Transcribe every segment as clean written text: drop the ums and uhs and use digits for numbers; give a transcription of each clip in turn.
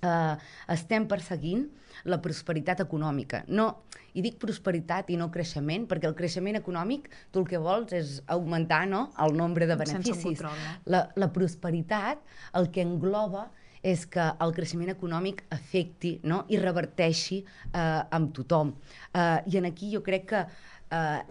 estem perseguint la prosperitat econòmica. No, i dic prosperitat i no creixement, perquè el creixement econòmic tu el que vols és augmentar, no?, el nombre de beneficis. Sense un control, no? La prosperitat el que engloba és que el creixement econòmic afecti, no?, i reverteixi amb tothom. I aquí jo crec que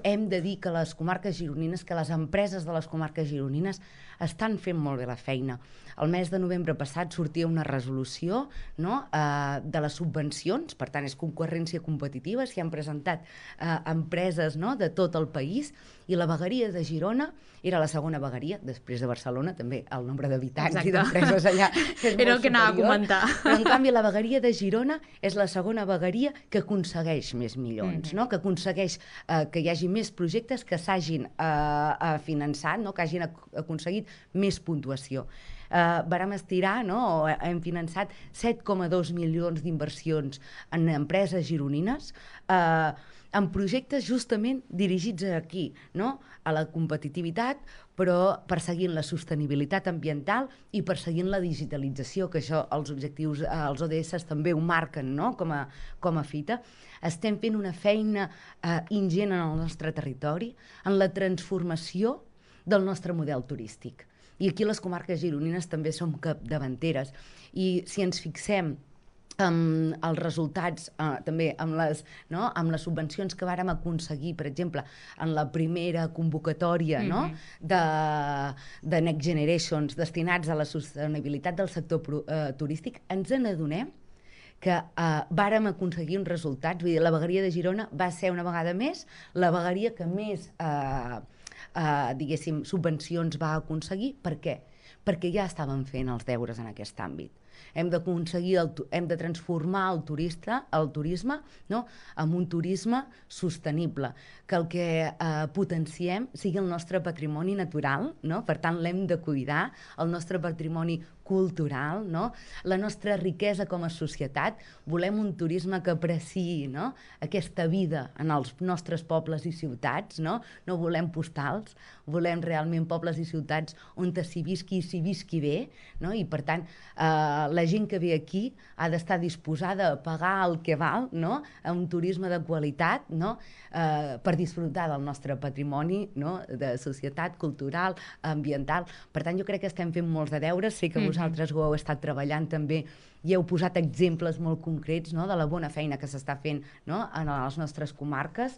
hem de dir que les comarques gironines, que les empreses de les comarques gironines estan fent molt bé la feina. El mes de novembre passat sortia una resolució, no?, de les subvencions, per tant és concurrència competitiva, s'hi han presentat empreses, no?, de tot el país, i la vegueria de Girona era la segona vegueria, després de Barcelona, també el nombre d'habitants i d'empreses allà és Era el molt que anava a superior, comentar. però en canvi la vegueria de Girona és la segona vegueria que aconsegueix més milions, no?, que aconsegueix que hi hagi més projectes que s'hagin finançat, no?, que hagin aconseguit més puntuació. Vàrem estirar, no?, o hem finançat 7,2 milions d'inversions en empreses gironines, en projectes justament dirigits aquí, no?, a la competitivitat, però perseguint la sostenibilitat ambiental i perseguint la digitalització, que això els objectius, els ODS també ho marquen, no?, com a fita. Estem fent una feina ingent en el nostre territori, en la transformació del nostre model turístic. I aquí les comarques gironines també som capdavanteres. I si ens fixem els resultats, també amb les subvencions que vàrem aconseguir, per exemple, en la primera convocatòria, no?, de Next Generations destinats a la sostenibilitat del sector turístic, ens n'adonem que vàrem aconseguir uns resultats. Vull dir, la vegueria de Girona va ser una vegada més la vegueria que més diguéssim, subvencions va aconseguir. Per què? Perquè ja estàvem fent els deures en aquest àmbit. Hem de transformar el turisme, no?, en un turisme sostenible, que el que potenciem sigui el nostre patrimoni natural, no?, per tant l'hem de cuidar, el nostre patrimoni cultural, no?, la nostra riquesa com a societat. Volem un turisme que apreciï, no?, aquesta vida en els nostres pobles i ciutats, no? No volem postals, volem realment pobles i ciutats on s'hi visqui bé, no?, i per tant la gent que ve aquí ha d'estar disposada a pagar el que val, no?, a un turisme de qualitat, no?, per disfrutar del nostre patrimoni, no?, de societat, cultural, ambiental. Per tant, jo crec que estem fent molts de deures. Sé que vosaltres ho heu estat treballant també i heu posat exemples molt concrets, no?, de la bona feina que s'està fent, no?, en les nostres comarques.